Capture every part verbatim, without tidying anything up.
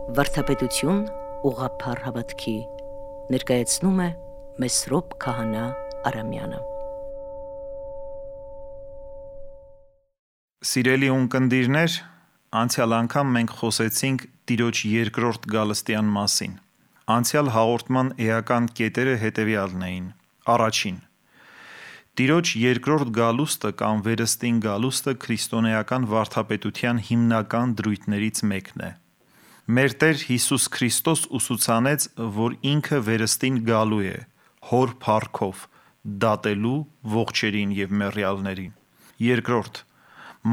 Վարդապետություն ուղղափառ հավատքի ներկայացնում է Մեսրոպ Քահանա Արամյանը։ Սիրելի ունկնդիրներ, անցյալ անգամ մենք խոսեցինք Տիրոջ երկրորդ գալստյան մասին։ Անցյալ հաղորդման էական կետերը հետևյալն էին. Առաջին. Տիրոջ երկրորդ գալուստը կամ վերստին գալուստը քրիստոնեական վարդապետության հիմնական դրույթներից մեկն է։ Մեր Տեր Հիսուս Քրիստոս ուսուցանեց, որ ինքը վերստին գալու է, հոր փառքով, դատելու ողջերին և մեռյալներին։ Երկրորդ.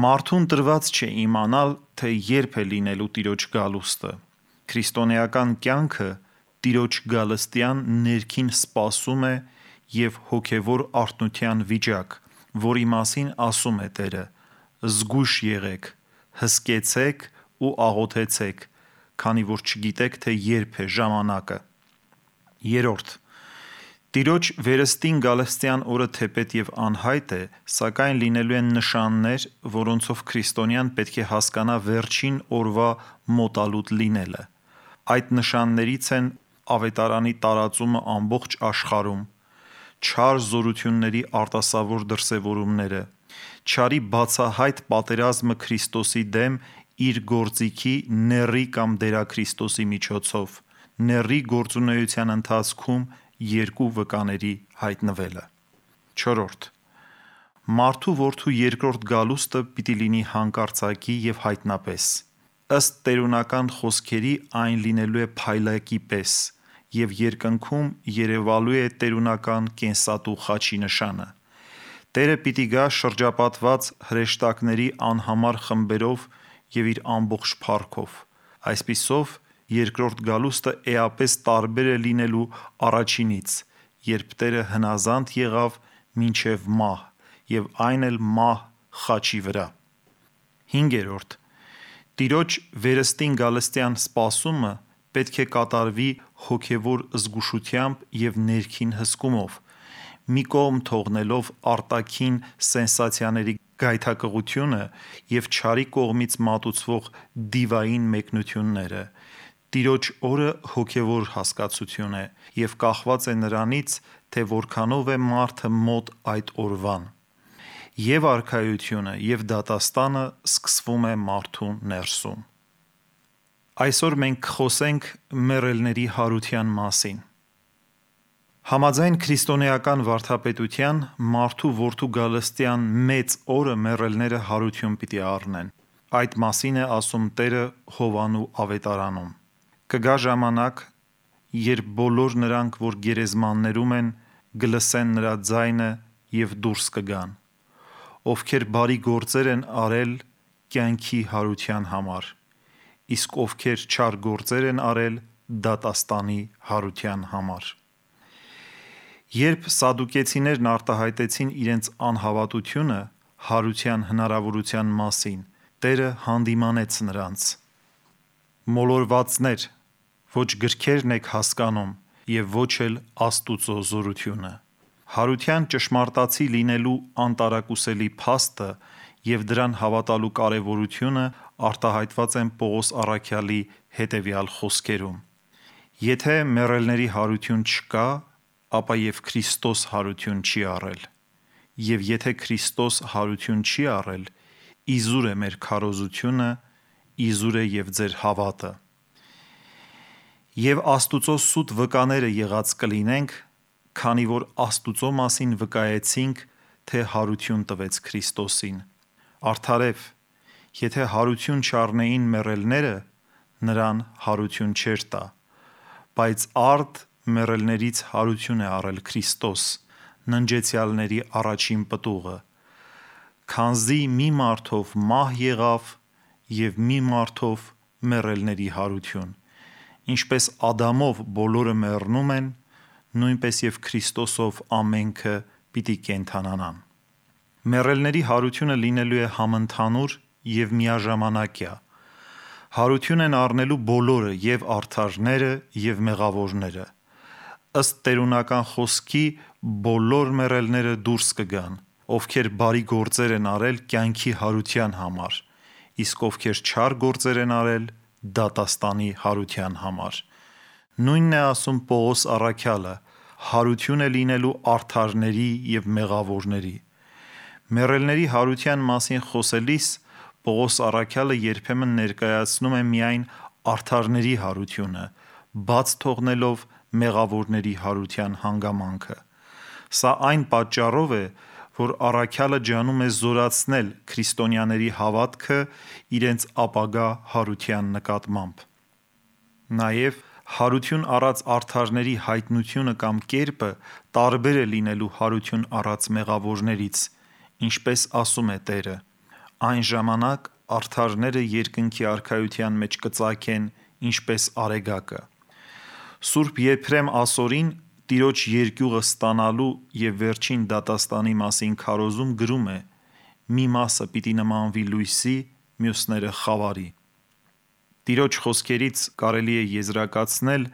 Մարդուն տրված չէ իմանալ, թե երբ է լինելու Տիրոջ գալուստը։ Քրիստոնեական կյանքը Տիրոջ գալստյան ներքին սպասում է և հոգևոր արթնության վիճակ, որի մասին ասում է Տերը. զգույշ եղեք, հսկեցեք ու աղոթեցեք, քանի որ չգիտեք, թե երբ է ժամանակը։ Երրորդ. Տիրոջ վերստին գալստյան օրը թեպետ և անհայտ է, սակայն լինելու են նշաններ, որոնցով քրիստոնյան պետք է հասկանա վերջին օրվա մոտալուտ լինելը։ Այդ նշաններից են ավետարանի տարածումը ամբողջ աշխարհում, չար զորությունների արտասովոր դրսևորումները, չարի բացահայտ պատերազմը Քրիստոսի դեմ իր գործիքի նեռի կամ դերաքրիստոսի միջոցով, նեռի գործունեության ընթացքում երկու վկաների հայտնվելը։ Չորրորդ. Մարդու որդու երկրորդ գալուստը պիտի լինի հանկարծակի և հայտնապես։ Ըստ տերունական խոսքերի այն լինելու է փայլակի պես և երկնքում երևալու է տերունական կենսատու խաչի նշանը։ Տերը պիտի գա շրջապատված հրեշտակների անհամար խմբերով և իր ամբողջ փառքով։ Այսպիսով երկրորդ գալուստը էապես տարբեր է լինելու առաջինից, երբ Տերը հնազանդ եղավ մինչև մահ, և այն էլ մահ խաչի վրա։ Հինգերորդ. Տիրոջ վերստին գալստյան սպասումը պետք է կատարվի հոգևոր զգուշությամբ և ներքին հսկումով, մի կողմ թողնելով արտաքին սենսացիաների գայթակղությունը և չարի կողմից մատուցվող դիվային մեկնությունները։ Տիրոջ օրը հոգևոր հասկացություն է և կախված է նրանից, թե որքանով է մարդը մոտ այդ օրվան։ Եվ արքայությունը, և դատաստանը սկսվում է մարդու ներսում։ Այսօր մենք կխոսենք մեռելների հարության մասին։ Համաձայն քրիստոնեական վարդապետության, մարդու որդու գալստյան մեծ օրը մեռելները հարություն պիտի առնեն։ Այդ մասին է ասում Տերը Հովհաննու ավետարանում. Կգա ժամանակ, երբ բոլոր նրանք, որ գերեզմաններում են, կլսեն նրա ձայնը և դուրս կգան, ովքեր բարի գործեր են արել կյանքի հարության համար, իսկ ովքեր չար գործեր են արել դատաստանի հարության համար։ Երբ սադուկեցիներն արտահայտեցին իրենց անհավատությունը հարության հնարավորության մասին, Տերը հանդիմանեց նրանց. Մոլորվածներ, ոչ գրքերն եք հասկանում և ոչ էլ Աստուծո զորությունը։ Հարության ճշմարտացի լինելու անտարակուսելի փաստը և դրան հավատալու կարևորությունը արտահայտված են Պողոս առաքյալի հետևյալ խոսքերում. Եթե մեռելների հարություն չկա, ապա և Քրիստոս հարություն չի առել, և եթե Քրիստոս հարություն չի առել, իզուր է մեր քարոզությունը, իզուր է և ձեր հավատը։ Եվ Աստուծո սուտ վկաները եղած կլինենք, քանի որ Աստուծո մասին վկայեցինք, թե հարություն տվեց Քրիստոսին։ Արդարև, եթե հարություն չառնեին մեռելները, նրան հարություն չէր տա, բայց արդ մեռելներից հարություն է առել Քրիստոս, ննջեցյալների առաջին պտուղը, քանզի մի մարդով մահ եղավ և մի մարդով մեռելների հարություն, ինչպես Ադամով բոլորը մեռնում են, նույնպես և Քրիստոսով ամենքը պիտի կենդանանան։ Մեռելների հարությունը լինելու է համընդհանուր և միաժամանակյա։ Հարություն են առնելու բոլորը, և արդարները, և մեղավորները։ Ըստ տերունական խոսքի բոլոր մեռելները դուրս կգան, ովքեր բարի գործեր են արել կյանքի հարության համար, իսկ ովքեր չար գործեր են արել դատաստանի հարության համար։ Նույնն է ասում Պողոս առաքյալը, հարություն է լինելու արդարների և մեղավորների։ Մեռելների հարության մասին խոսելիս Պողոս առաքյալը երբեմն ներկայացնում է միայն արդարների հարությունը, բաց թողնելով մեղավորների հարության հանգամանքը։ Սա այն պատճառով է, որ առաքյալը ջանում է զորացնել քրիստոնյաների հավատքը իրենց ապագա հարության նկատմամբ։ Նաև հարություն առած արդարների հայտնությունը կամ կերպը տարբեր է լինելու հարություն առած մեղավորներից, ինչպես ասում է Տերը. «Այն ժամանակ արդարները երկնքի արքայության մեջ կծագեն ինչպես արեգակը»։ Սուրբ Եփրեմ ասորին Տիրոջ երկյուղը ստանալու և վերջին դատաստանի մասին քարոզում գրում է. «Մի մասը պիտի նմանվի լույսի, մյուսները՝ խավարի»։ Տիրոջ խոսքերից կարելի է եզրակացնել,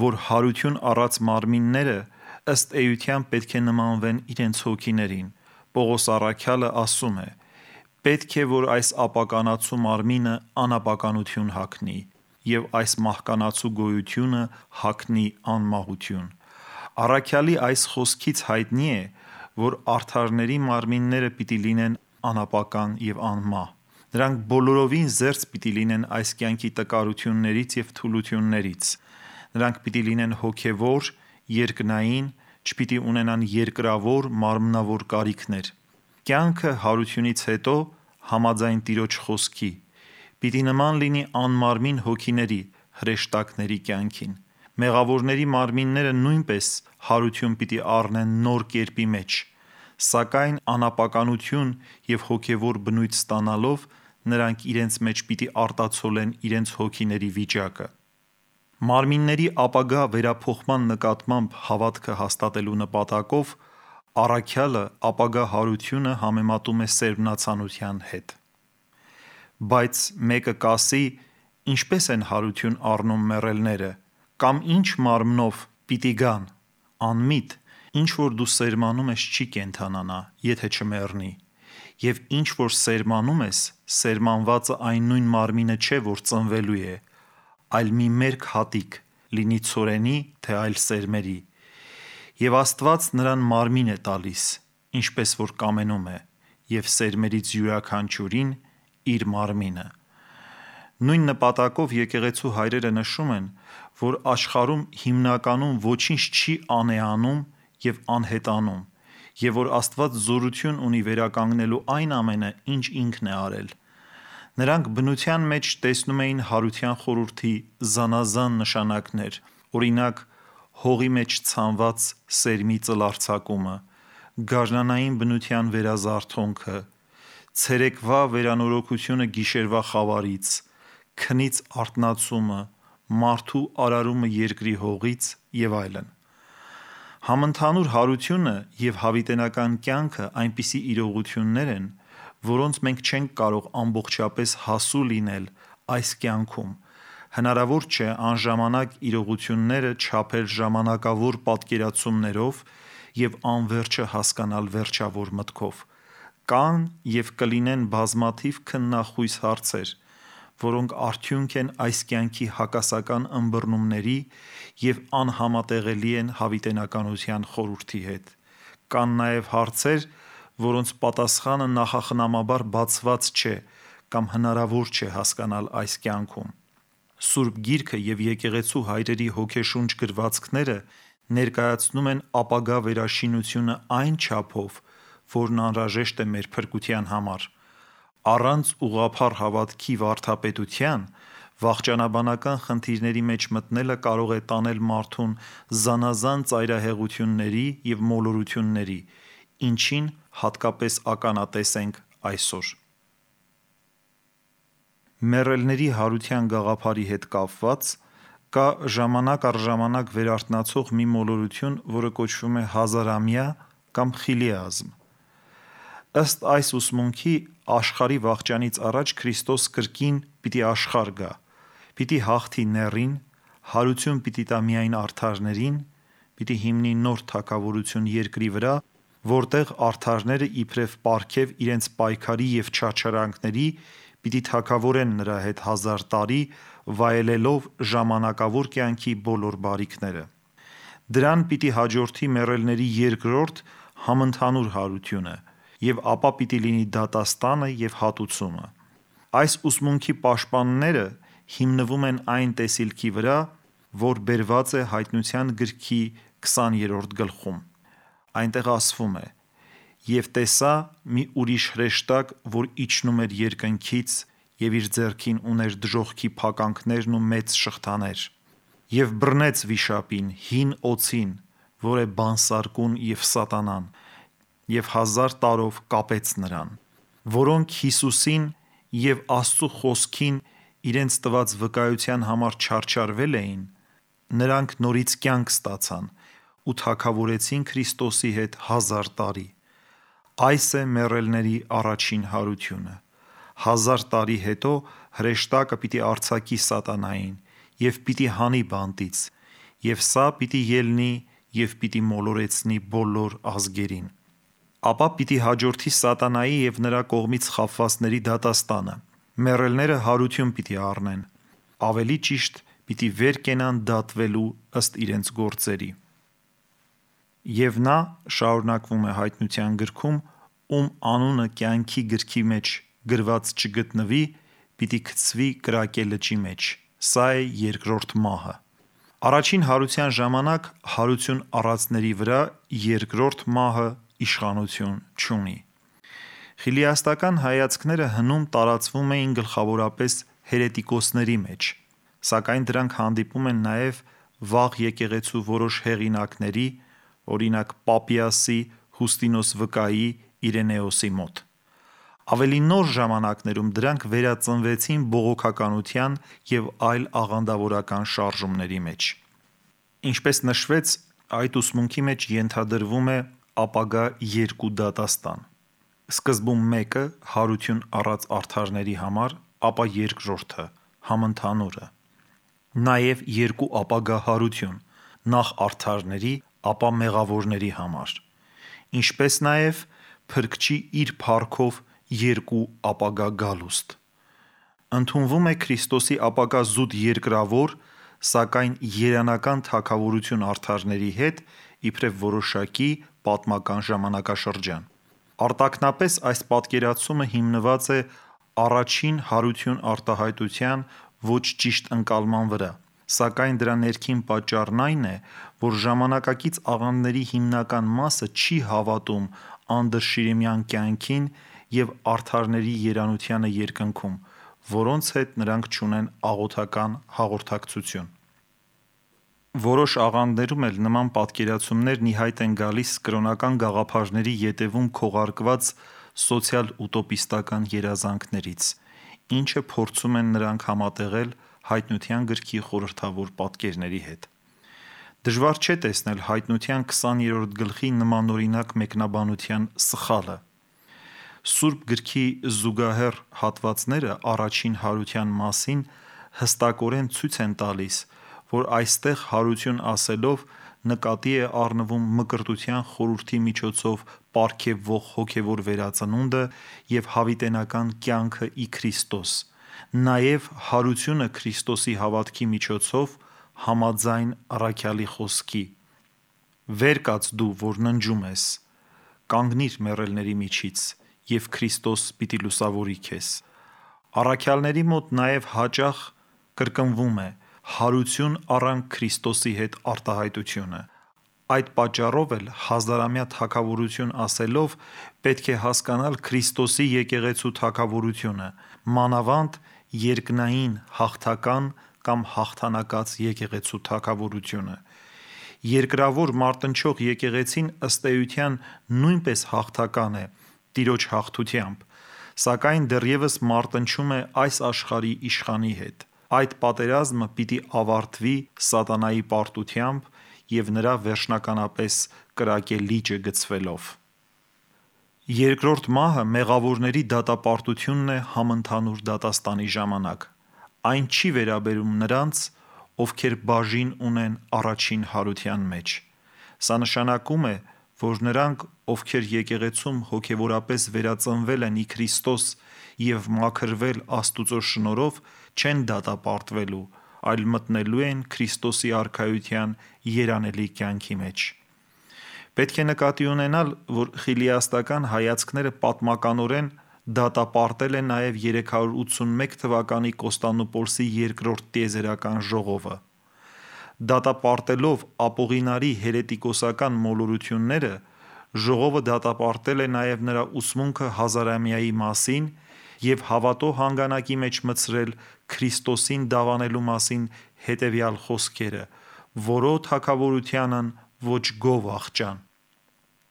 որ հարություն առած մարմինները ըստ էության պետք է նմանվեն իրենց հոգիներին։ Պողոս առաքյալը ասում է. «Պետք է, որ այս ապականացու մարմինը անապականություն հագնի, և այս մահկանացու գոյությունը հագնի անմահություն»։ Առաքյալի այս խոսքից հայտնի է, որ արդարների մարմինները պիտի լինեն անապական և անմահ։ Նրանք բոլորովին զերծ պիտի լինեն այս կյանքի տկարություններից և թուլություններից։ Նրանք պիտի լինեն հոգևոր, երկնային, չպիտի ունենան երկրավոր, մարմնավոր կարիքներ։ Կյանքը հարությունից հետո, համաձայն Տիրոջ խոսքի, պիտի նման լինի անմարմին հոգիների, հրեշտակների կյանքին։ Մեղավորների մարմինները նույնպես հարություն պիտի առնեն նոր կերպի մեջ, սակայն անապականություն և հոգևոր բնույթ ստանալով նրանք իրենց մեջ պիտի արտացոլեն իրենց հոգիների վիճակը։ Մարմինների ապագա վերափոխման նկատմամբ հավատքը հաստատելու նպատակով առաքյալը ապագա հարությունը համեմատում է սերմնացանության հետ։ Բայց մեկը կասի. «Ինչպե՞ս են հարություն առնում մեռելները, կամ ի՞նչ մարմնով պիտի գան»։ Անմիտ, ինչ որ դու սերմանում ես, չի կենդանանա, եթե չմեռնի, և ինչ որ սերմանում ես, սերմանվածը այն նույն մարմինը չէ, որ ծնվելու է, այլ մի մերկ հատիկ, լինի ցորենի, թե այլ սերմերի։ Եվ Աստված նրան մարմին է տալիս, ինչպես որ կամենում է, և սերմերից յուրաքանչյուրին իր մարմինը։ Նույն նպատակով եկեղեցու հայրերը նշում են, որ աշխարհում հիմնականում ոչինչ չի անեանում և անհետանում, և որ Աստված զորություն ունի վերականգնելու այն ամենը, ինչ ինքն է արել։ Նրանք բնության մեջ տեսնում էին հարության խորհրդի զանազան նշանակներ, օրինակ՝ հողի մեջ ցանված սերմի ծլարձակումը, գարնանային բնության վերազարթոնքը, ցերեկվա վերանորոգությունը գիշերվա խավարից, քնից արթնացումը, մարդու արարումը երկրի հողից և այլն։ Համընդհանուր հարությունը և հավիտենական կյանքը այնպիսի իրողություններ են, որոնց մենք չենք կարող ամբողջապես հասու լինել այս կյանքում։ Հնարավոր չէ անժամանակ իրողությունները չափել ժամանակավոր պատկերացումներով և անվերջը հասկանալ վերջավոր մտքով։ Կան և կլինեն բազմաթիվ քննախույս հարցեր, որոնք արդյունք են այս կյանքի հակասական ըմբռնումների և անհամատեղելի են հավիտենականության խորհրդի հետ։ Կան նաև հարցեր, որոնց պատասխանը նախախնամաբար բացված չէ կամ հնարավոր չէ հասկանալ այս կյանքում։ Սուրբ Գիրքը և եկեղեցու հայրերի հոգեշունչ գրվածքները ներկայացնում են ապագա վերաշինությունը այն չափով, որն անհրաժեշտ է մեր փրկության համար։ Առանց ուղղափառ հավատքի վարդապետության վախճանաբանական խնդիրների մեջ մտնելը կարող է տանել մարդուն զանազան ծայրահեղությունների և մոլորությունների, ինչին հատկապես ականատես ենք այսօր։ Մեռելների հարության գաղափարի հետ կապված կա ժամանակ առ ժամանակ վերարթնացող մի մոլորություն, որը կոչվում է հազարամյա կամ խիլիազմ։ Ըստ այս ուսմունքի աշխարհի վախճանից առաջ Քրիստոս կրկին պիտի աշխարհ գա, պիտի հաղթի նեռին, հարություն պիտի տա միայն արդարներին, պիտի հիմնի նոր թագավորություն երկրի վրա, որտեղ արդարները իբրև պարգև իրենց պայքարի և չարչարանքների պիտի թագավորեն նրա հետ հազար տարի, վայելելով ժամանակավոր կյանքի բոլոր բարիքները։ Դրան պիտի հաջորդի մեռելների երկրորդ համընդհանուր հարությունը, և ապա պիտի լինի դատաստանը և հատուցումը։ Այս ուսմունքի պաշտպանները հիմնվում են այն տեսիլքի վրա, որ բերված է Հայտնության գրքի քսաներորդ գլխում։ Այնտեղ ասվում է. «Եվ տեսա մի ուրիշ հրեշտակ, որ իջնում էր երկնքից, և իր ձեռքին ուներ դժոխքի փականքներն ու մեծ շղթաներ, և բռնեց վիշապին, հին օձին, որ է բանսարկուն և սատանան, և հազար տարով կապեց նրան, որոնք Հիսուսին և Աստծու խոսքին իրենց տված վկայության համար չարչարվել էին, նրանք նորից կյանք ստացան ու թագավորեցին Քրիստոսի հետ հազար տարի։ Այս է մեռելների առաջին հարությունը։ Հազար տարի հետո հրեշտակը պիտի արձակի սատանային և պիտի հանի բանտից, և սա պիտի ելնի և պիտի մոլորեցնի բոլոր ազգերին։ Ապա պիտի հաջորդի սատանայի և նրա կողմից խաբվածների դատաստանը։ Մեռելները հարություն պիտի առնեն, ավելի ճիշտ պիտի վեր կենան դատվելու ըստ իրենց գործերի։ Եվ նա, շարունակվում է Հայտնության գրքում, ում անունը կյանքի գրքի մեջ գրված չգտնվի, պիտի գցվի կրակե լճի մեջ։ Սա է երկրորդ մահը։ Առաջին հարության ժամանակ հարություն առածների վրա երկրորդ մահը իշխանություն չունի։ Խիլիաստական հայացքները հնում տարածվում էին գլխավորապես հերետիկոսների մեջ, սակայն դրանք հանդիպում են նաև վաղ եկեղեցու որոշ հեղինակների, օրինակ Պապիասի, Հուստինոս Վկայի, Իրենեոսի մոտ։ Ավելի նոր ժամանակներում դրանք վերածնվեցին բողոքականության և այլ աղանդավորական շարժումների մեջ։ Ինչպես նշվեց, այդ ուսմունքի մեջ ենթադրվում է ապագա երկու դատաստան։ Սկզբում մեկը հարություն առած արդարների համար, ապա երկրորդը համընդհանուրը։ Նաև երկու ապագա հարություն, նախ արդարների, ապա մեղավորների համար, ինչպես նաև Փրկչի իր փառքով երկու ապագա գալուստ։ Ընդունվում է Քրիստոսի ապագա զուտ երկրավոր, սակայն երանական թագավորություն արդարների հետ, իբրև որոշակի պատմական ժամանակաշրջան։ Արտաքնապես այս պատկերացումը հիմնված է առաջին հարություն արտահայտության ոչ ճիշտ ընկալման վրա, սակայն դրա ներքին պատճառն այն է, որ ժամանակակից աղանդների հիմնական մասը չի հավատում անդրշիրիմյան կյանքին և արդարների երանությանը երկնքում, որոնց հետ նրանք չունեն աղոթական հաղորդակցություն։ Որոշ աղանդներում էլ նման պատկերացումներն ի հայտ են գալիս կրոնական գաղափարների ետևում քողարկված սոցիալ-ուտոպիստական երազանքներից, ինչը փորձում են նրանք համատեղել Հայտնության գրքի խորհրդավոր պատկերների հետ։ Դժվար չէ տեսնել Հայտնության քսաներորդ գլխի նմանօրինակ մեկնաբանության սխալը։ Սուրբ գրքի զուգահեռ հատվածները առաջին հարության մասին հստակորեն ցույց են տալիս, որ այստեղ հարություն ասելով նկատի է առնվում Մկրտության խորհրդի միջոցով պարգևվող հոգևոր վերածնունդը և հավիտենական կյանքը ի Քրիստոս, նաև հարությունը Քրիստոսի հավատքի միջոցով համաձայն առաքյալի խոսքի. «Վեր կաց դու, որ ննջում ես, կանգնիր մեռելների միջից, և Քրիստոս պիտի լուսավորի քեզ»։ Առաքյալների մոտ նաև հաճախ կրկնվում է հարություն առանք Քրիստոսի հետ արտահայտությունը։ Այդ պատճառով էլ հազարամյա թագավորություն ասելով պետք է հասկանալ Քրիստոսի եկեղեցու թագավորությունը, մանավանդ երկնային հաղթական կամ հաղթանակած եկեղեցու թագավորությունը։ Երկրավոր մարտնչող եկեղեցին ըստ էության նույնպես հաղթական է Տիրոջ հաղթությամբ, սակայն դեռևս մարտնչում է այս աշխարհի իշխանի հետ։ Այդ պատերազմը պիտի ավարտվի սատանայի պարտությամբ և նրա վերջնականապես կրակե լիճը գցվելով։ Երկրորդ մահը մեղավորների դատապարտությունն է համընդհանուր դատաստանի ժամանակ։ Այն չի վերաբերում նրանց, ովքեր բաժին ունեն առաջին հարության մեջ։ Սա նշանակում է, որ նրանք, ովքեր եկեղեցում հոգևորապես վերածնվել են ի Քրիստոս և մաքրվել Աստուծո շնորհով, չեն դատապարտվելու, այլ մտնելու են Քրիստոսի արքայության երանելի կյանքի մեջ։ Պետք է նկատի ունենալ, որ խիլիաստական հայացքները պատմականորեն դատապարտել են նաև երեք հարյուր ութսունմեկ թվականի Կոստանդնուպոլսի երկրորդ տիեզերական ժողովը։ Դատապարտելով ապողինարի հերետիկոսական մոլորությունները, ժողովը դատապարտել է նաև նրա ուսմունքը հազարամյայի մասին և հավատո հանգանակի մեջ մտցրել Քրիստոսին դավանելու մասին հետևյալ խոսքերը. «Որո թագավորությանն ոչ գով աղջան»։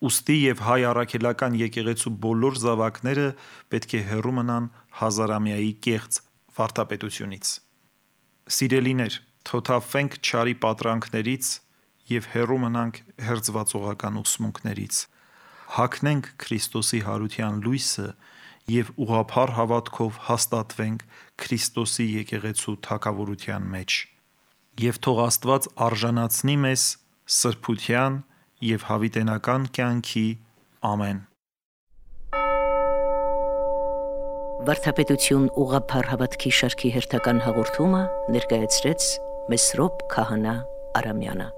Ուստի և հայ առաքելական եկեղեցու բոլոր զավակները պետք է հեռու մնան հազարամյայի կեղծ վարդապետությունից։ Սիրելիներ, թոթափվենք չարի պատրանքներից և հեռու մնանք հերձվածողական ուսմունքներից։ Հագնենք Քրիստոսի հարության լույսը և ուղղափառ հավատքով հաստատվենք Քրիստոսի եկեղեցու թագավորության մեջ։ Եվ թող Աստված արժանացնի մեզ սրբության և հավիտենական կյանքի։ Ամեն։ Վարդապետություն ուղղափառ հավատքի շարքի հերթական հաղորդումը ներկայացրեց Մեսրոպ Քահանա Արամյանը։